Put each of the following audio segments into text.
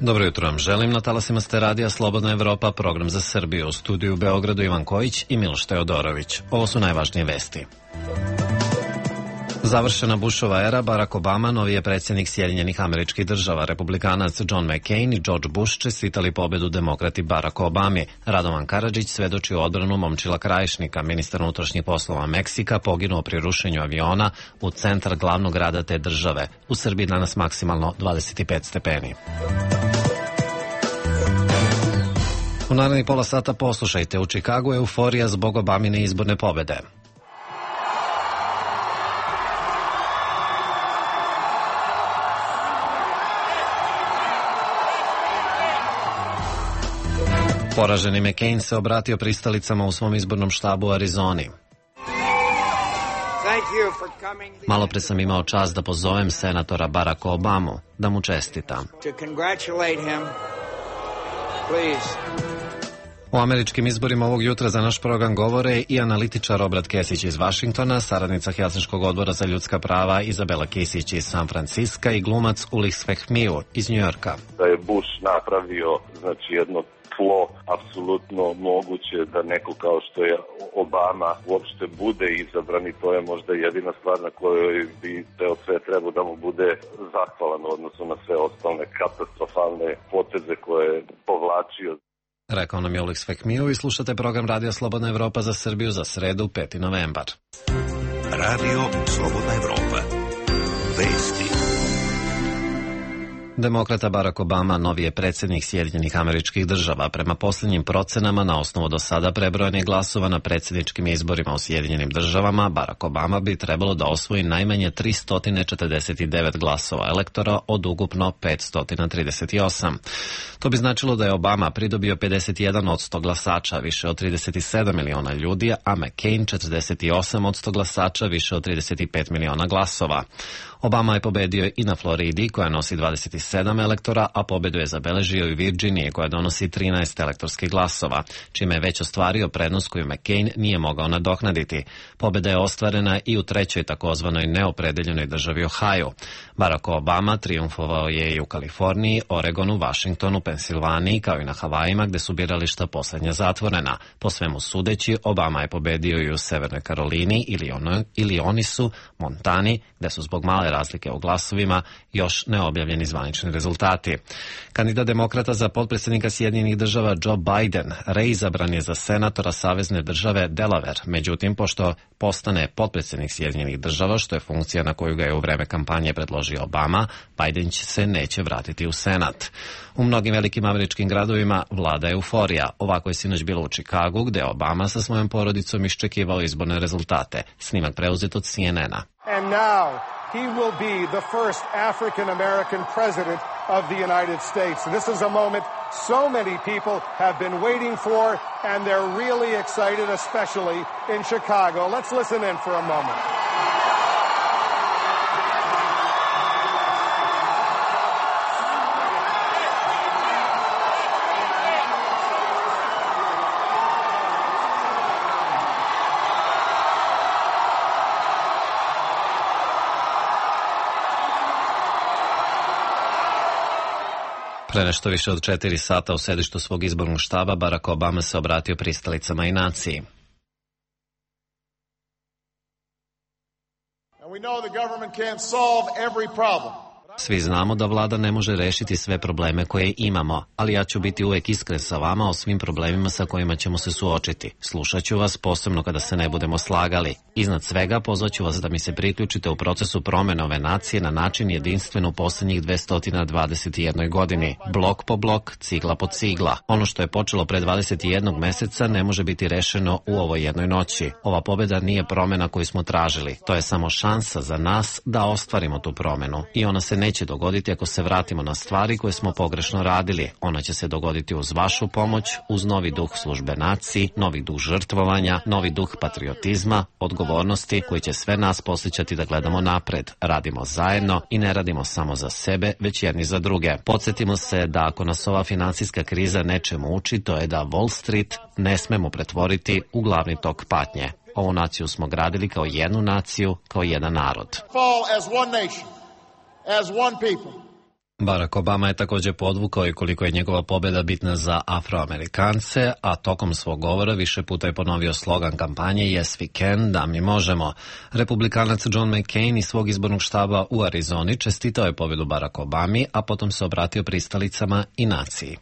Dobro jutro vam želim. Na talasima ste radija Slobodna Evropa, program za Srbiju. U studiju u Beogradu Ivan Kojić i Miloš Teodorović. Ovo su najvažnije vesti. Završena Bushova era, Barack Obama, novi je predsjednik Sjedinjenih Američkih Država. Republikanac John McCain i George Bush čestitali pobedu demokrati Baracku Obami. Radovan Karadžić svedoči u odbranu Momčila Krajišnika, ministar unutrašnjih poslova Meksika, poginuo pri rušenju aviona u centar glavnog grada te države. U Srbiji danas maksimalno 25 stepeni. U narednih pola sata poslušajte, u Čikagu euforija zbog Obamine izborne pobede. Poraženi McCain se obratio pristalicama u svom izbornom štabu u Arizoni. Malo pre sam imao čast da pozovem senatora Baracka Obamu, da mu čestitam. O američkim izborima ovog jutra za naš program govore i analitičar Obrat Kesić iz Vašingtona, saradnica Helsinškog odbora za ljudska prava Izabela Kisić iz San Franciska i glumac Ulrich Svehmiu iz Njujorka. Da je Bush napravio jedno tlo, apsolutno moguće da neko kao što je Obama uopšte bude izabran i to je možda jedina stvar na kojoj bi ceo svet trebao da mu bude zahvalan u odnosu na sve ostale katastrofalne poteze koje je povlačio. Rekao nam je Ulrich Svehmiu i slušate program Radija Slobodna Evropa za Srbiju za sredu 5. novembar. Radio Slobodna Evropa. Vesti. Demokrata Barack Obama novi je predsjednik Sjedinjenih Američkih Država. Prema posljednjim procenama, na osnovu do sada prebrojanih glasova na predsjedničkim izborima u Sjedinjenim Državama, Barack Obama bi trebalo da osvoji najmanje 349 glasova elektora od ukupno 538. To bi značilo da je Obama pridobio 51% glasača, više od 37 miliona ljudi, a McCain 48% glasača, više od 35 miliona glasova. Obama je pobedio i na Floridi, koja nosi 27 elektora, a pobedu je zabeležio i Virginiji, koja donosi 13 elektorskih glasova, čime je već ostvario prednost koju McCain nije mogao nadoknaditi. Pobeda je ostvarena i u trećoj takozvanoj neopredeljenoj državi Ohio. Barack Obama triumfovao je i u Kaliforniji, Oregonu, Vašingtonu, Pensilvaniji, kao i na Havajima, gde su birališta poslednja zatvorena. Po svemu sudeći, Obama je pobedio i u Severnoj Karolini, Illinoisu, Montani, gde su zbog male razlike u glasovima još neobjavljeni zvanični rezultati. Kandidat demokrata za potpredsjednika Sjedinjenih Država Joe Biden reizabran je za senatora savezne države Delaware. Međutim, pošto postane potpredsjednik Sjedinjenih Država, što je funkcija na koju ga je u vreme kampanje predložio Obama, Biden se neće vratiti u Senat. U mnogim velikim američkim gradovima vlada euforija. Ovako je sinoć bilo u Čikagu, gde Obama sa svojom porodicom iščekivao izborne rezultate. Snimak preuzet od CNN-a. And now he will be the first African-American president of the United States. And this is a moment so many people have been waiting for, and they're really excited, especially in Chicago. Let's listen in for a moment. Pre nešto više od 4 sata u sedištu svog izbornog štaba Barack Obama se obratio pristalicama i naciji. Svi znamo da vlada ne može rešiti sve probleme koje imamo, ali ja ću biti uvek iskren sa vama o svim problemima sa kojima ćemo se suočiti. Slušat ću vas, posebno kada se ne budemo slagali. Iznad svega, pozvaću vas da mi se priključite u procesu promene ove nacije na način jedinstven u poslednjih 221 godini. Blok po blok, cigla po cigla. Ono što je počelo pre 21 meseca ne može biti rešeno u ovoj jednoj noći. Ova pobeda nije promena koju smo tražili. To je samo šansa za nas da ostvarimo tu promenu. I ona se neće dogoditi ako se vratimo na stvari koje smo pogrešno radili. Ona će se dogoditi uz vašu pomoć, uz novi duh službe naciji, novi duh žrtvovanja, novi duh patriotizma, odgovornosti koji će sve nas podsjećati da gledamo napred. Radimo zajedno i ne radimo samo za sebe, već jedni za druge. Podsjetimo se da ako nas ova finansijska kriza nečemu uči, to je da Wall Street ne smemo pretvoriti u glavni tok patnje. Ovu naciju smo gradili kao jednu naciju, kao jedan narod. As one people. Barack Obama je također podvukao i koliko je njegova pobjeda bitna za Afroamerikance, a tokom svog govora više puta je ponovio slogan kampanje Yes we can, da mi možemo. Republikanac John McCain iz svog izbornog štaba u Arizoni čestitao je pobjedu Barack Obami, a potom se obratio pristalicama i naciji.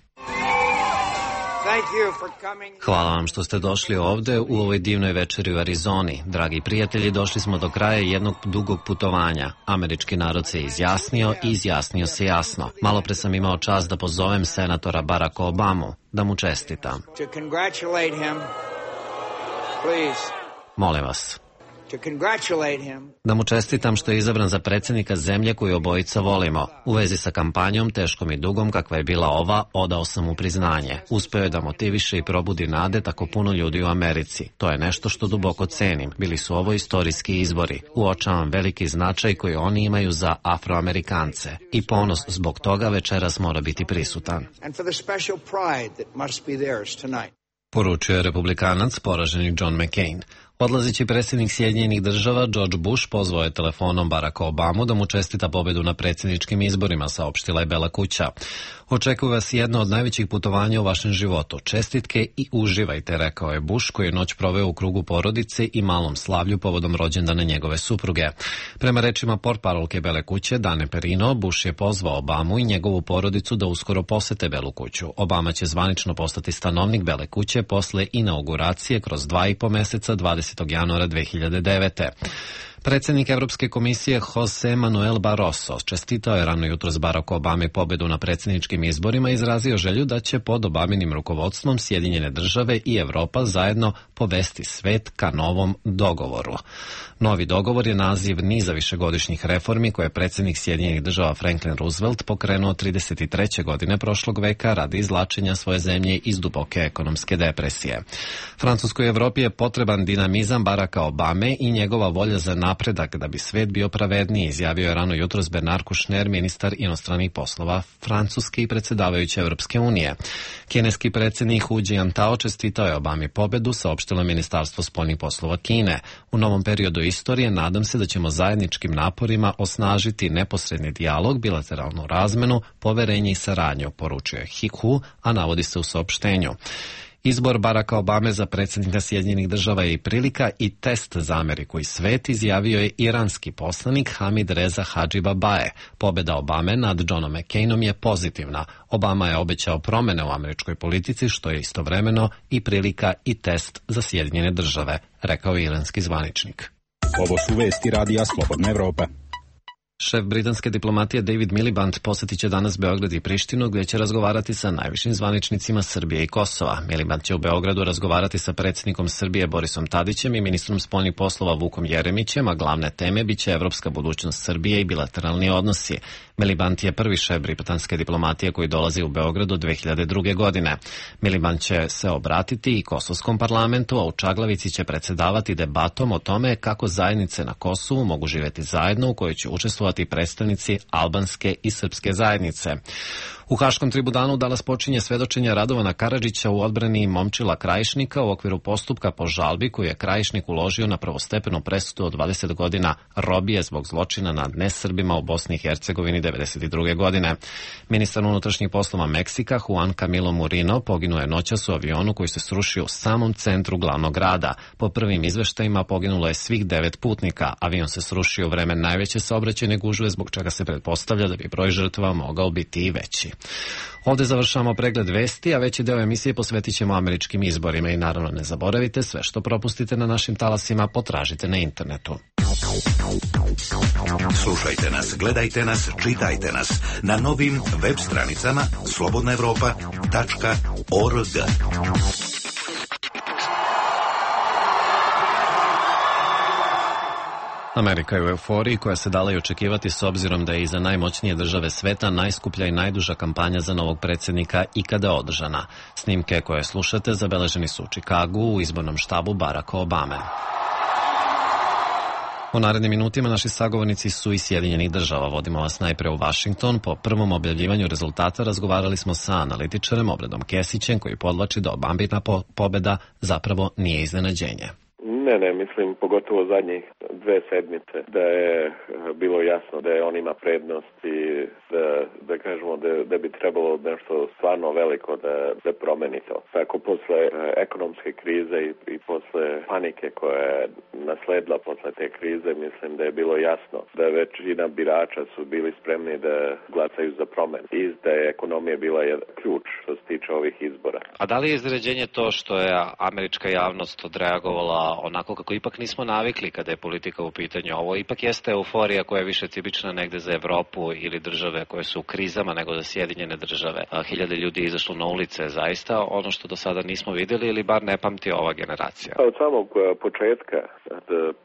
Hvala vam što ste došli ovde u ovoj divnoj večeri u Arizoni. Dragi prijatelji, došli smo do kraja jednog dugog putovanja. Američki narod se izjasnio i izjasnio se jasno. Malopre sam imao čast da pozovem senatora Baracka Obamu, da mu čestitam. Molim vas. Da mu čestitam što je izabran za predsjednika zemlje koju obojica volimo. U vezi sa kampanjom, teškom i dugom kakva je bila ova, odao sam mu priznanje. Uspeo je da motiviše i probudi nade tako puno ljudi u Americi. To je nešto što duboko cenim. Bili su ovo istorijski izbori. Uočavam veliki značaj koji oni imaju za Afroamerikance. I ponos zbog toga večeras mora biti prisutan. Poručio je republikanac, poraženi John McCain. Odlazeći predsjednik Sjedinjenih država George Bush pozvao je telefonom Baracka Obamu da mu čestita pobjedu na predsjedničkim izborima, saopštila je Bela kuća. Očekuje vas jedno od najvećih putovanja u vašem životu. Čestitke i uživajte, rekao je Bush, koji je noć proveo u krugu porodice i malom slavlju povodom rođendana njegove supruge. Prema rečima portparolke Bele kuće, Dane Perino, Bush je pozvao Obamu i njegovu porodicu da uskoro posete Belu kuću. Obama će zvanično postati stanovnik Bele kuće posle inauguracije kroz 2,5 meseca 20. januara 2009. Predsjednik Evropske komisije Jose Manuel Barroso čestitao je rano jutros Baracku Obami pobjedu na predsjedničkim izborima i izrazio želju da će pod Obaminim rukovodstvom Sjedinjene države i Evropa zajedno povesti svet ka novom dogovoru. Novi dogovor je naziv niza višegodišnjih reformi koje je predsjednik Sjedinjenih država Franklin Roosevelt pokrenuo 33. godine prošlog veka radi izvlačenja svoje zemlje iz duboke ekonomske depresije. Francuskoj Evropi je potreban dinamizam Baracka Obame i njegova volja za napredak da bi svet bio pravedniji, izjavio je rano jutros Bernard Kouchner, ministar inostranih poslova Francuske i predsjedavajuće Evropske unije. Kineski predsjednik Hu Jintao čestitao je Obami pobedu, saopštilo Ministarstvo spoljnih poslova Kine. U novom periodu istorije nadam se da ćemo zajedničkim naporima osnažiti neposredni dijalog, bilateralnu razmenu, poverenje i saradnju, poručio je Hu, a navodi se u saopštenju. Izbor Baracka Obame za predsjednika Sjedinjenih država je i prilika i test za Ameriku i svet, izjavio je iranski poslanik Hamid Reza Hadži Babae. Pobjeda Obame nad Johnom McCainom je pozitivna. Obama je obećao promjene u američkoj politici, što je istovremeno i prilika i test za Sjedinjene države, rekao je iranski zvaničnik. Ovo su vesti radija Slobodna Evropa. Šef britanske diplomatije David Miliband posjetit će danas Beograd i Prištinu, gdje će razgovarati sa najvišim zvaničnicima Srbije i Kosova. Miliband će u Beogradu razgovarati sa predsjednikom Srbije Borisom Tadićem i ministrom spoljnih poslova Vukom Jeremićem, a glavne teme biće evropska budućnost Srbije i bilateralni odnosi. Miliband je prvi šef britanske diplomatije koji dolazi u Beograd od 2002. godine. Miliband će se obratiti i Kosovskom parlamentu, a u Čaglavici će predsjedavati debatom o tome kako zajednice na Kosovu mogu živjeti zajedno, u kojoj će učestvovati predstavnici albanske i srpske zajednice. U Haškom tribunalu danas počinje svedočenje Radovana Karadžića u odbrani Momčila Krajišnika u okviru postupka po žalbi koju je Krajišnik uložio na prvostepenu presudu od 20 godina robije zbog zločina nad nesrbima u Bosni i Hercegovini 1992. godine. Ministar unutrašnjih poslova Meksika Juan Camilo Murino poginuo je noćas u avionu koji se srušio u samom centru glavnog grada. Po prvim izveštajima poginulo je svih 9 putnika. Avion se srušio u vreme najveće saobraćajne gužve, zbog čega se pretpostavlja da bi broj žrtava mogao biti i veći. Ovdje završavamo pregled vesti, a veći deo emisije posvetit ćemo američkim izborima i naravno ne zaboravite, sve što propustite na našim talasima potražite na internetu. Slušajte nas, gledajte nas, čitajte nas na novim web stranicama slobodnaevropa.org. Amerika je u euforiji koja se dala i očekivati s obzirom da je iza najmoćnije države sveta najskuplja i najduža kampanja za novog predsjednika ikada održana. Snimke koje slušate zabeleženi su u Čikagu u izbornom štabu Baracka Obame. U narednim minutima naši sagovornici su iz Sjedinjenih država. Vodimo vas najpre u Washington. Po prvom objavljivanju rezultata razgovarali smo sa analitičarem Obradom Kesićem koji podvlači da Obamina pobjeda zapravo nije iznenađenje. Ne, mislim pogotovo zadnjih 2 sedmice da je bilo jasno da je on ima prednost i da kažemo da bi trebalo nešto stvarno veliko da promeni to. Tako posle ekonomske krize i posle panike koja je nasledila posle te krize, mislim da je bilo jasno da većina birača su bili spremni da glasaju za promenu i da je ekonomija bila ključ što se tiče ovih izbora. A da li je iznenađenje to što je američka javnost odreagovala onako kako ipak nismo navikli kada je politika u pitanju? Ovo ipak jeste euforija koja je više tipična negde za Evropu ili države koje su u krizama nego za Sjedinjene države. Hiljade ljudi izašlo na ulice, zaista ono što do sada nismo vidjeli ili bar ne pamti ova generacija. Od samog početka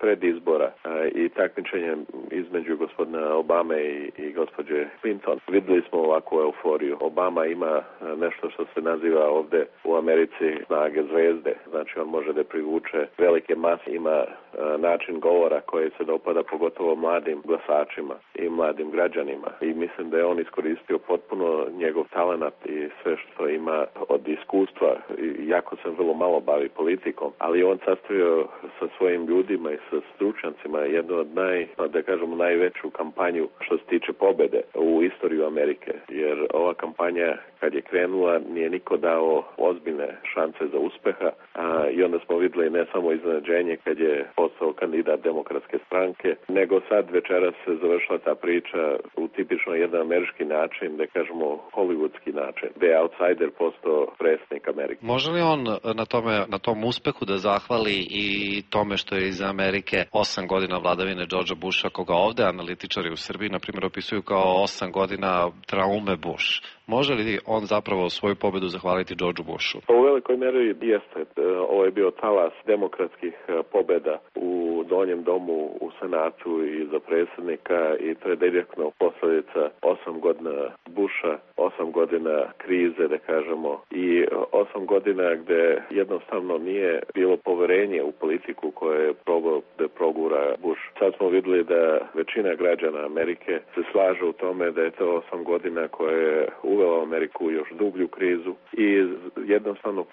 pred izbora i takmičenja između gospodina Obame i gospođe Clinton videli smo ovakvu euforiju. Obama ima nešto što se naziva ovde u Americi snage zvezde. Znači on može da privuče velike mase, ima način govora koji se dopada pogotovo mladim glasačima i mladim građanima. I mislim da je on iskoristio potpuno njegov talenat i sve što ima od iskustva. Jako se vrlo malo bavi politikom, ali on sastavio sa svojim ljudima i sa stručnjacima jednu od najveću kampanju što se tiče pobede u istoriju Amerike. Jer ova kampanja kad je krenula nije niko dao ozbiljne šanse za uspeha i onda smo videli ne samo iznenađenje kad je postao kandidat Demokratske stranke, nego sad večeras se završila ta priča u tipično jedan američki način, da kažemo hollywoodski način, gde je outsider postao predsjednik Amerike. Može li on na tom uspehu da zahvali i tome što je iz Amerike 8 godina vladavine Georgea Busha, koga ovde analitičari u Srbiji, na primjer, opisuju kao 8 godina traume Bush? Može li on zapravo svoju pobedu zahvaliti Georgeu Bushu? U velikoj meri jeste. Ovo je bio talas demokratskih pobeda u Donjem domu, u Senatu i za predsjednika i to je direktno posljedica 8 godina Busha, 8 godina krize, da kažemo, i 8 godina gde jednostavno nije bilo poverenje u politiku koje je probao da progura Bush. Sad smo videli da većina građana Amerike se slaže u tome da je to 8 godina koje je uvela Ameriku u još dublju krizu i jednostavno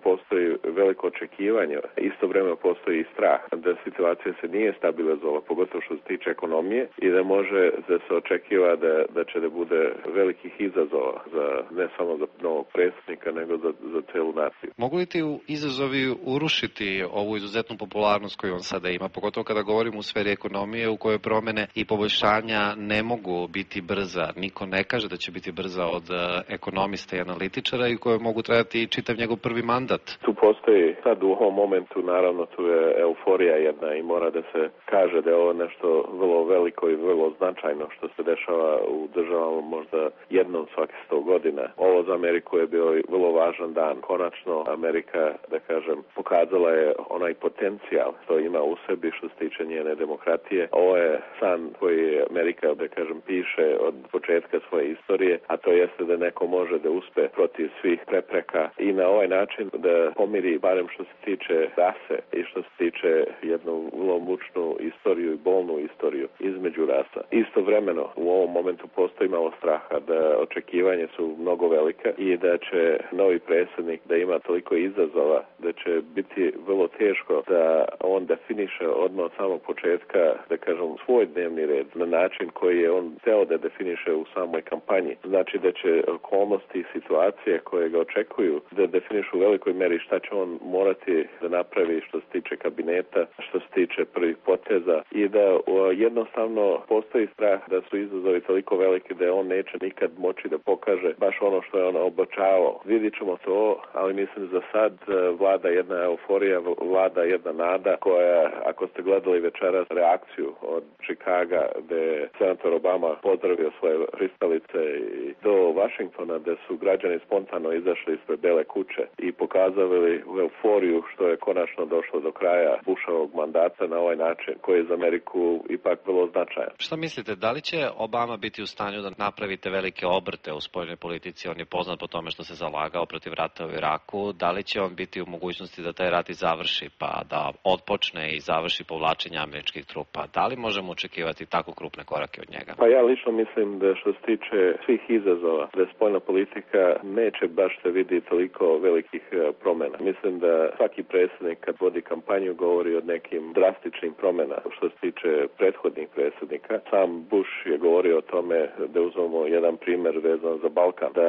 postoji veliko očekivanje. Istovremeno postoji i strah da situacija se nije stabilizovala, pogotovo što se tiče ekonomije i da može da se očekiva da će da bude velikih izazova ne samo za novog predsjednika, nego za celu naciju. Mogu li ti izazovi urušiti ovu izuzetnu popularnost koju on sada ima, pogotovo kada govorimo u sferi ekonomije u kojoj promene i poboljšanja ne mogu biti brza? Niko ne kaže da će biti brza od ekonomista i analitičara i koje mogu trajati čitav njegov prvi mandat. Tu postoji sad u ovom momentu, naravno tu je euforija jedna i mora da se kaže da je ovo nešto vrlo veliko i vrlo značajno što se dešava u državama možda jednom svakih 100 godina. Ovo za Ameriku je bio vrlo važan dan. Konačno Amerika, da kažem, pokazala je onaj potencijal što ima u sebi što se tiče njene demokratije. Ovo je san koji Amerika, da kažem, piše od početka svoje istorije, a to jeste da neko može da uspe protiv svih prepreka i na ovaj način da pomiri barem što se tiče rase i što se tiče jednu vrlo mučnu istoriju i bolnu istoriju između rasa. Istovremeno u ovom momentu postoji malo straha da očekivanje su mnogo velike i da će novi predsjednik da ima toliko izazova da će biti vrlo teško da on definiše odmah od samog početka, da kažem, svoj dnevni red na način koji je on hteo da definiše u samoj kampanji. Znači da će okolnosti i situacije koje ga očekuju da definišu u velikoj meri šta će on morati da napravi što se tiče kabineta, što se tiče prvih poteza i da jednostavno postoji strah da su izazovi toliko veliki da on neće nikad moći da pokaže baš ono što je on obećavao. Vidit ćemo to, ali mislim za sad vlada jedna euforija, vlada jedna nada koja, ako ste gledali večeras reakciju od Chicaga gde je senator Obama pozdravio svoje pristalice i do Washingtona gde su građani spontano izašli ispred Bele kuće i pokazali euforiju što je konačno došlo do kraja Bushovog mandata na ovaj način koji je za Ameriku ipak vrlo značajan. Šta mislite, da li će Obama biti u stanju da napravite velike obrte u spoljnoj politici? On je poznat po tome što se zalagao protiv rata u Iraku. Da li će on biti u mogućnosti da taj rat i završi, pa da otpočne i završi povlačenje američkih trupa? Da li možemo očekivati tako krupne korake od njega? Pa ja lično mislim da što se tiče svih izazova, da spoljna politika neće baš se vidi toliko velikih promjena. Mislim da svaki predsjednik kad vodi kampanju govori o nekim drastičnim promjena. Što se tiče prethodnih predsjednika, sam Bush je govorio o tome, da uzmemo jedan primjer vezan za Balkan, da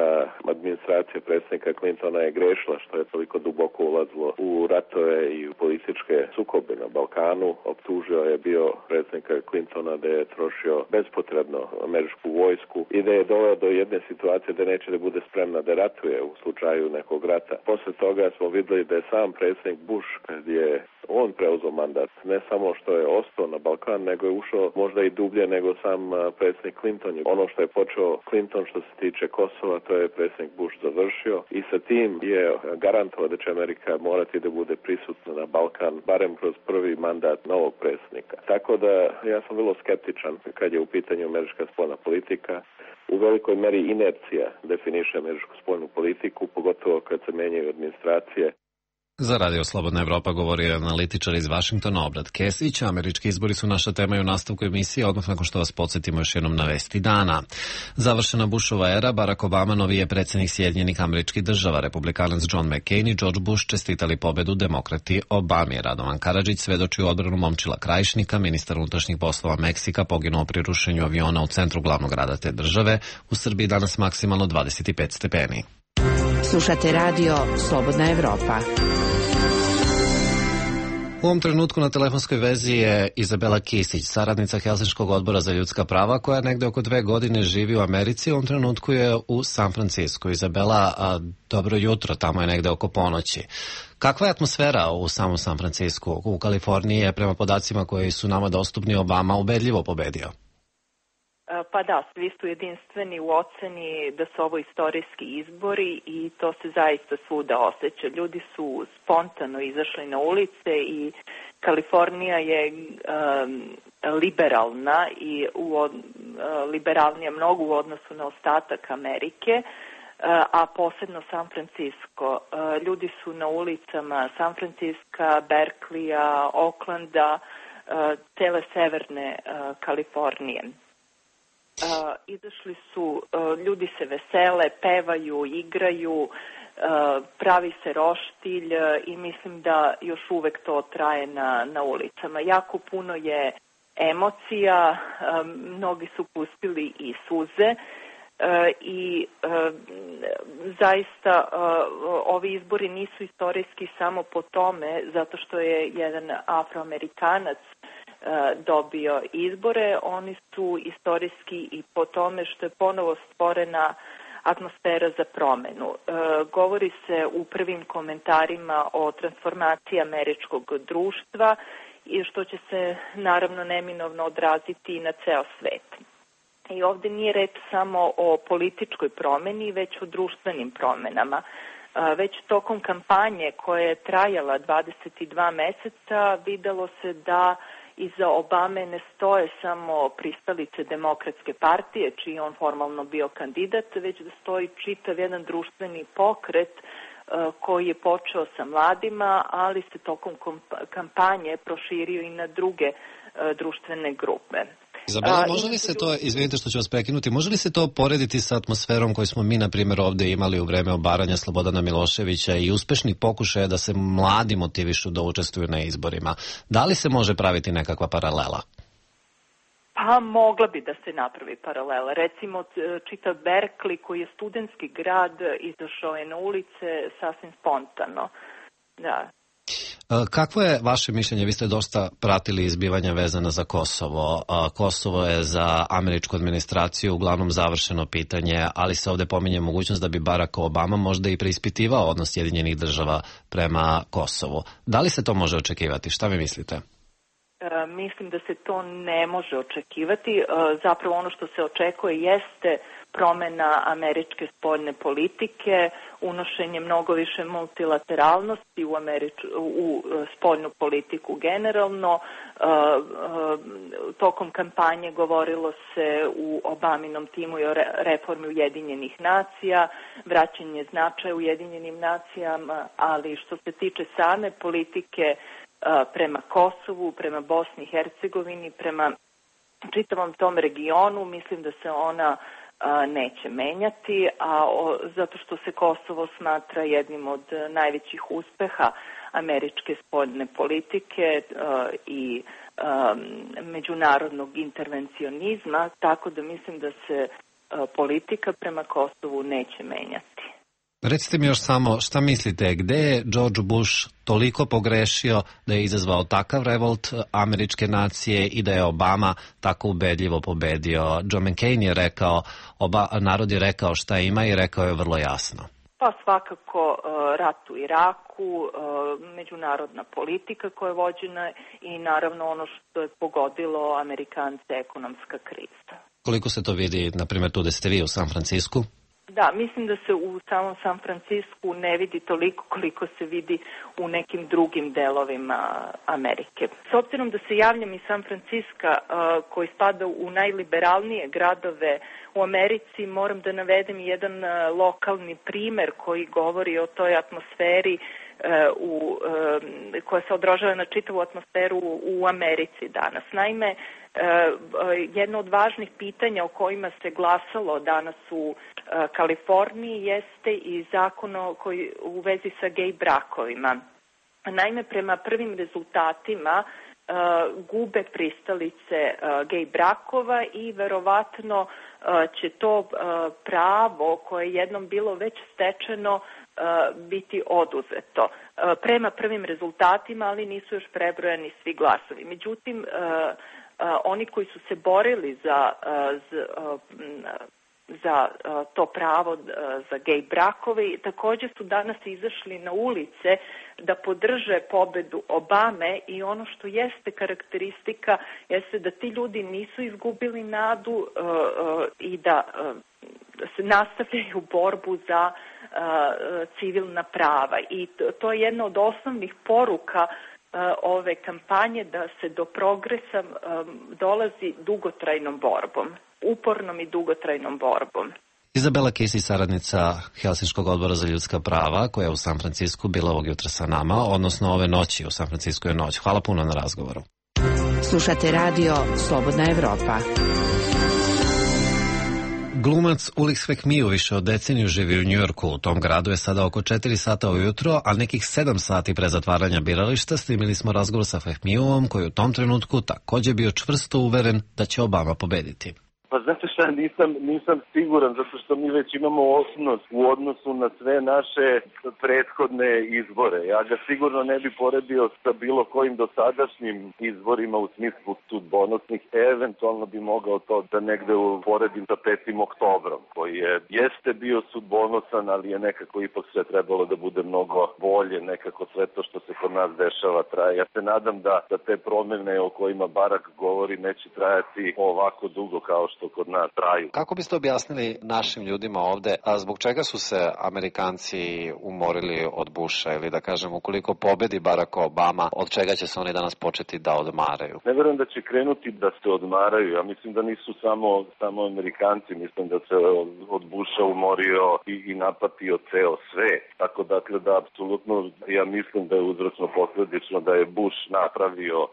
administracija predsjednika Clintona je grešila što je toliko duboko ulazilo u ratove i u političke sukobe na Balkanu. Optužio je bio predsjednika Clintona da je trošio bespotrebno američku vojsku i da je doveo do jedne situacije da neće da bude spremna da ratuje u slučaju nekog rata. Posle toga smo vidjeli da je sam predsjednik Bush, kad je on preuzeo mandat, ne samo što je ostao na Balkan, nego je ušao možda i dublje nego sam predsjednik Clinton. Ono što je počeo Clinton što se tiče Kosova, to je predsjednik Bush završio i sa tim je garantovao da će Amerika morati da bude prisutna na Balkan, barem kroz prvi mandat novog predsjednika. Tako da ja sam vrlo skeptičan kad je u pitanju američka spoljna politika. U velikoj meri inercija definiše američku spoljnu politiku, pogotovo kad se menjaju administracije. Za Radio Slobodna Evropa govorio je analitičar iz Vašingtona Obrad Kesić. Američki izbori su naša tema i u nastavku emisije, odmah nakon što vas podsjetimo još jednom na vesti dana. Završena Bushova era, Barack Obama novi je predsjednik Sjedinjenih Američkih Država. Republikanac John McCain i George Bush čestitali pobedu demokrati Obami. Radovan Karadžić svedoči u odbranu Momčila Krajišnika, ministar unutrašnjih poslova Meksika, poginuo pri rušenju aviona u centru glavnog grada te države. U Srbiji danas maksimalno 25 stepeni. Slušate radio Slobodna Evropa. U ovom trenutku na telefonskoj vezi je Izabela Kisić, saradnica Helsinškog odbora za ljudska prava, koja negde oko 2 godine živi u Americi. U ovom trenutku je u San Francisco. Izabela, dobro jutro, tamo je negde oko ponoći. Kakva je atmosfera u samom San Francisco? U Kaliforniji je, prema podacima koji su nama dostupni, Obama ubedljivo pobedio. Pa da, svi su jedinstveni u oceni da su ovo istorijski izbori i to se zaista svuda osjeća. Ljudi su spontano izašli na ulice i Kalifornija je liberalna i liberalnija mnogo u odnosu na ostatak Amerike, a posebno San Francisco. Ljudi su na ulicama San Francisca, Berkeleya, Oaklanda, cele severne Kalifornije. Izašli su, ljudi se vesele, pevaju, igraju, pravi se roštilj i mislim da još uvek to traje na ulicama. Jako puno je emocija, mnogi su pustili i suze i zaista ovi izbori nisu istorijski samo po tome zato što je jedan Afroamerikanac dobio izbore, oni su istorijski i po tome što je ponovo stvorena atmosfera za promenu. Govori se u prvim komentarima o transformaciji američkog društva i što će se naravno neminovno odraziti i na ceo svet. I ovde nije reč samo o političkoj promeni, već o društvenim promenama. Već tokom kampanje koja je trajala 22 meseca videlo se da iza Obame ne stoje samo pristalice Demokratske partije, čiji on formalno bio kandidat, već da stoji čitav jedan društveni pokret koji je počeo sa mladima, ali se tokom kampanje proširio i na druge društvene grupe. Izabela, može li se to, izvinite što ću vas prekinuti, može li se to porediti sa atmosferom koju smo mi, na primjer, ovde imali u vreme obaranja Slobodana Miloševića i uspešnih pokušaja da se mladi motivišu da učestvuju na izborima? Da li se može praviti nekakva paralela? Pa mogla bi da se napravi paralela. Recimo, čitav Berkeley, koji je studentski grad, izašao je na ulice sasvim spontano. Da. Kakvo je vaše mišljenje? Vi ste dosta pratili izbivanja vezana za Kosovo. Kosovo je za američku administraciju uglavnom završeno pitanje, ali se ovde pominje mogućnost da bi Barack Obama možda i preispitivao odnos Sjedinjenih država prema Kosovu. Da li se to može očekivati? Šta vi mislite? Mislim da se to ne može očekivati. Zapravo ono što se očekuje jeste promena američke spoljne politike, unošenje mnogo više multilateralnosti u spoljnu politiku generalno. Tokom kampanje govorilo se u Obaminom timu i o reformi Ujedinjenih nacija, vraćanje značaja Ujedinjenim nacijama, ali što se tiče same politike prema Kosovu, prema Bosni i Hercegovini, prema čitavom tom regionu, mislim da se ona neće menjati, zato što se Kosovo smatra jednim od najvećih uspeha američke spoljne politike i međunarodnog intervencionizma, tako da mislim da se politika prema Kosovu neće menjati. Recite mi još samo, šta mislite, gde je George Bush toliko pogrešio da je izazvao takav revolt američke nacije i da je Obama tako ubedljivo pobedio? John McCain je rekao, narod je rekao šta ima i rekao je vrlo jasno. Pa svakako rat u Iraku, međunarodna politika koja je vođena i naravno ono što je pogodilo Amerikance, ekonomska kriza. Koliko se to vidi, na primjer, tu da ste vi u San Francisku? Da, mislim da se u samom San Francisku ne vidi toliko koliko se vidi u nekim drugim delovima Amerike. S obzirom da se javljam iz San Francisca, koji spada u najliberalnije gradove u Americi, moram da navedem jedan lokalni primer koji govori o toj atmosferi koja se odražava na čitavu atmosferu u Americi danas. Naime, jedno od važnih pitanja o kojima se glasalo danas u Kaliforniji jeste i zakon koji u vezi sa gej brakovima. Naime, prema prvim rezultatima gube pristalice gej brakova i verovatno će to pravo koje je jednom bilo već stečeno biti oduzeto. Prema prvim rezultatima, ali nisu još prebrojani svi glasovi. Međutim, oni koji su se borili za to pravo za gej brakove također su danas izašli na ulice da podrže pobedu Obame i ono što jeste karakteristika jeste da ti ljudi nisu izgubili nadu i da se nastavljaju borbu za civilna prava i to je jedna od osnovnih poruka ove kampanje, da se do progresa dolazi dugotrajnom borbom, upornom i dugotrajnom borbom. Izabela Casey, saradnica Helsinškog odbora za ljudska prava, koja je u San Francisku bila ovog jutra sa nama, odnosno ove noći u San Francisku je noć. Hvala puno na razgovoru. Slušate radio Slobodna Evropa. Glumac Ulrich Svekmiju više od deceniju živi u Njujorku. U tom gradu je sada oko 4 sata ujutro, a nekih 7 sati pre zatvaranja birališta snimili smo razgovor sa Svekmijuom, koji u tom trenutku također bio čvrsto uveren da će Obama pobediti. Pa znate šta, nisam siguran, zato što mi već imamo osnos u odnosu na sve naše prethodne izbore. Ja ga sigurno ne bi poredio sa bilo kojim dosadašnjim izborima u smislu sudbonosnih. Eventualno bi mogao to da negde poredim sa 5. oktobrom, koji jeste bio sudbonosan, ali je nekako ipak sve trebalo da bude mnogo bolje, nekako sve to što se kod nas dešava traje. Ja se nadam da te promene o kojima Barak govori neće trajati ovako dugo kao što kod nas traju. Kako biste objasnili našim ljudima ovde, a zbog čega su se Amerikanci umorili od Busha, ili da kažem, ukoliko pobedi Barack Obama, od čega će se oni danas početi da odmaraju? Ne verujem da će krenuti da se odmaraju. Ja mislim da nisu samo Amerikanci, mislim da se od Busha umorio i napatio ceo svet. Tako dakle da apsolutno ja mislim da je uzročno posledično da je Bush napravio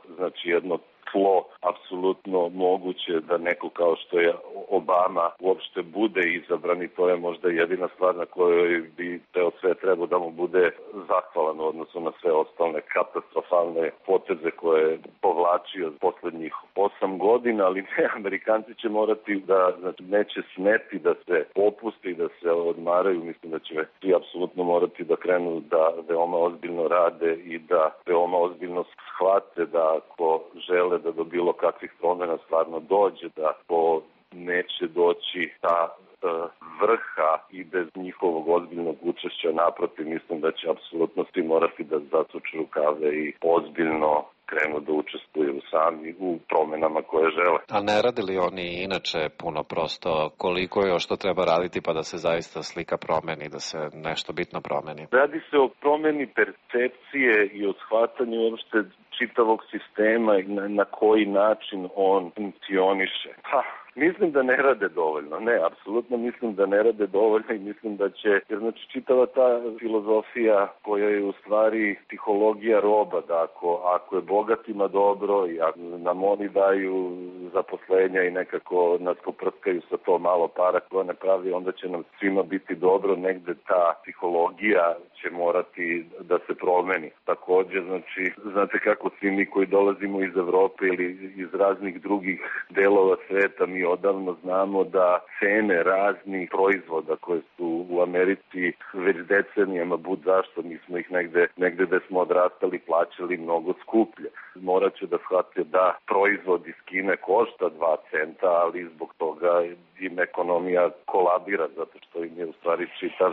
jedno tlo apsolutno moguće da neko kao što je Obama uopšte bude izabran i to je možda jedina stvar na kojoj bi ceo sve trebao da mu bude zahvalan u odnosu na sve ostale katastrofalne poteze koje je povlačio poslednjih 8 godina, ali ne, Amerikanci će morati da, neće smeti da se popuste i da se odmaraju. Mislim da će svi apsolutno morati da krenu da veoma ozbiljno rade i da veoma ozbiljno shvate da ako žele da do bilo kakvih promjena stvarno dođe, da ako neće doći ta vrha i bez njihovog ozbiljnog učešća, naprotiv, mislim da će apsolutno svi morati da zasuču rukave i ozbiljno krenu da učestvuju sami u promjenama koje žele. A ne radi li oni inače puno prosto? Koliko je što treba raditi pa da se zaista slika promeni, da se nešto bitno promeni? Radi se o promjeni percepcije i o shvatanju uopšte čitavog sistema i na koji način on funkcioniše. Mislim da ne rade dovoljno. Ne, apsolutno mislim da ne rade dovoljno i mislim da će, jer znači čitava ta filozofija koja je u stvari psihologija roba, da ako je bogatima dobro i ako nam oni daju zaposlenja i nekako nas poprskaju sa to malo para koja ne pravi, onda će nam svima biti dobro, negde ta psihologija će morati da se promeni. Takođe, znači, znate kako svi mi koji dolazimo iz Evrope ili iz raznih drugih delova sveta, mi odavno znamo da cene raznih proizvoda koje su u Americi već decenijama, bud zašto, mi smo ih negde da smo odrastali plaćali mnogo skuplje. Morat će da shvate da proizvod iz Kine košta 2 centa, ali zbog toga im ekonomija kolabira, zato što im je u stvari čitav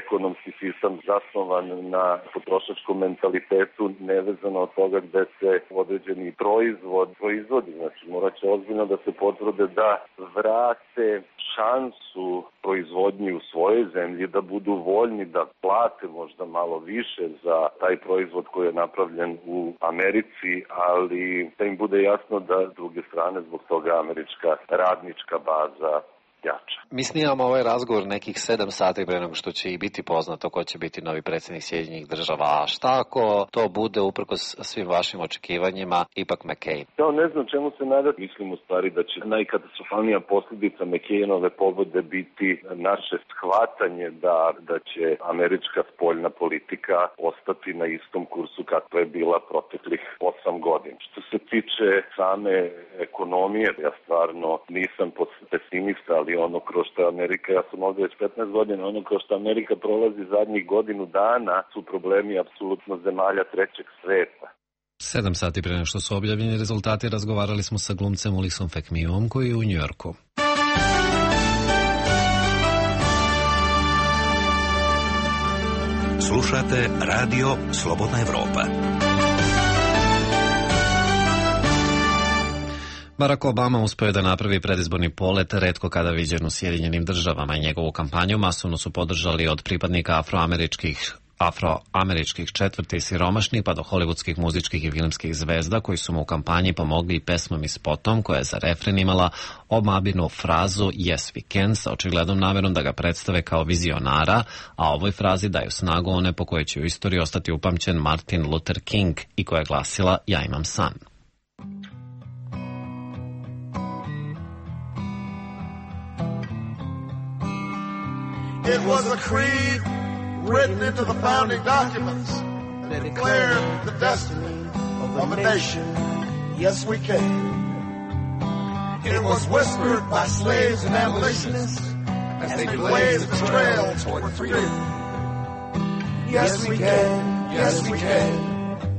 ekonomski sistem zasnovan na potrošačkom mentalitetu, nevezano od toga gde se određeni proizvodi. Znači, morat će ozbiljno da se potvrde da vrate šansu proizvodnji u svojoj zemlji, da budu voljni da plate možda malo više za taj proizvod koji je napravljen u Americi, ali da im bude jasno da s druge strane zbog toga američka radnička baza jača. Mi snimamo ovaj razgovor nekih 7 sati pre nego što će i biti poznato ko će biti novi predsjednik Sjedinjenih Država. A šta ako to bude uprkos svim vašim očekivanjima ipak McCain? Ja ne znam čemu se nadati. Mislim u stvari da će najkatastrofalnija posljedica McCainove pobede biti naše shvatanje da će američka spoljna politika ostati na istom kursu kakva je bila proteklih 8 godina. Što se tiče same ekonomije, ja stvarno nisam pesimista, ali ono kroz što Amerika, ja sam ovdje već 15 godina, ono kroz što Amerika prolazi zadnjih godinu dana su problemi apsolutno zemalja trećeg sveta. 7 sati pre nego što su objavljeni rezultati razgovarali smo sa glumcem Ulisom Fekmiom koji je u Njujorku. Slušate Radio Slobodna Evropa. Barack Obama uspeo je da napravi predizborni polet retko kada viđen u Sjedinjenim Državama i njegovu kampanju masovno su podržali od pripadnika afroameričkih četvrti i siromašnih pa do hollywoodskih muzičkih i filmskih zvezda koji su mu u kampanji pomogli i pesmom i spotom koja je za refren imala Obaminu frazu Yes we can sa očiglednom namerom da ga predstave kao vizionara, a ovoj frazi daju snagu one po kojoj će u istoriji ostati upamćen Martin Luther King i koja je glasila Ja imam san. It was a creed written into the founding documents that declared the destiny of a nation. Yes, we can. It was whispered by slaves and abolitionists as they blazed the trail toward freedom. Yes, we can. Yes, we can.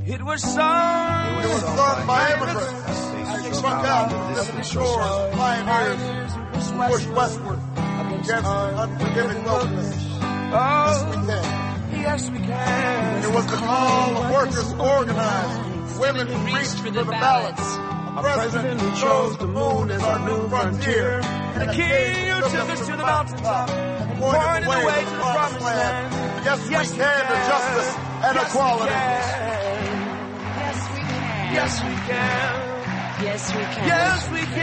It was sung by immigrants as they struck out to the distant shores of pioneers who pushed westward against unforgiving wilderness. Yes, we can. Yes, we can. It was the call of workers to organize, women who reached for the ballots, a president who chose the moon as our new frontier, and a king who took us to the mountaintop and pointed the way to the promised land. Yes, we can to justice and equality. Yes, we can. Yes, we can. Yes, we can.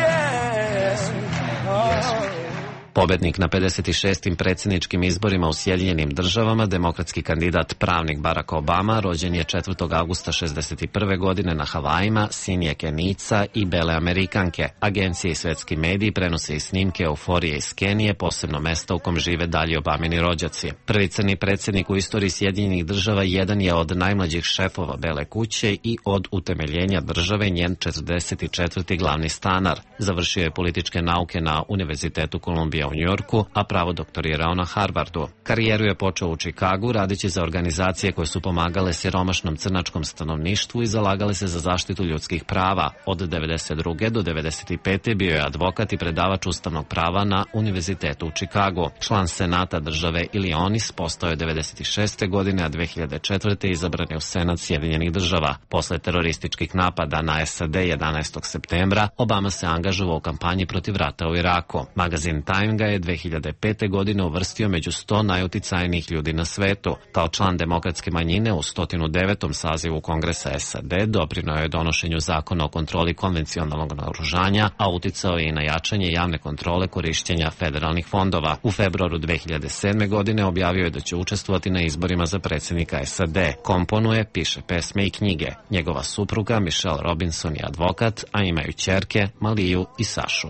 Yes, we can. Pobednik na 56. predsjedničkim izborima u Sjedinjenim Državama, demokratski kandidat pravnik Barack Obama, rođen je 4. augusta 1961. godine na Havajima, sin je Kenijca i bele Amerikanke. Agencije i svetski mediji prenose i snimke euforije iz Kenije, posebno mesta u kom žive dalji Obamini rođaci. Prvi crni predsjednik u istoriji Sjedinjenih Država jedan je od najmlađih šefova Bele kuće i od utemeljenja države njen 44. glavni stanar. Završio je političke nauke na Univerzitetu Kolumbija u Njujorku, a pravo doktorirao na Harvardu. Karijeru je počeo u Čikagu radeći za organizacije koje su pomagale siromašnom crnačkom stanovništvu i zalagale se za zaštitu ljudskih prava. Od 1992. do 1995. bio je advokat i predavač ustavnog prava na Univerzitetu u Čikagu. Član Senata države Illinois, postao je 1996. godine, a 2004. izabran je u Senat Sjedinjenih Država. Posle terorističkih napada na SAD 11. septembra, Obama se angažovao u kampanji protiv rata u Iraku. Magazin Time ga je 2005. godine uvrstio među 100 najuticajnijih ljudi na svetu. Kao član demokratske manjine u 109. sazivu Kongresa SAD doprineo je donošenju zakona o kontroli konvencionalnog naoružanja, a uticao je i na jačanje javne kontrole korišćenja federalnih fondova. U februaru 2007. godine objavio je da će učestvovati na izborima za predsjednika SAD. Komponuje, piše pesme i knjige. Njegova supruga Michelle Robinson je advokat, a imaju ćerke Maliju i Sašu.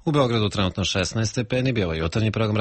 U Beogradu trenutno 16 stepeni, bio je jutarnji program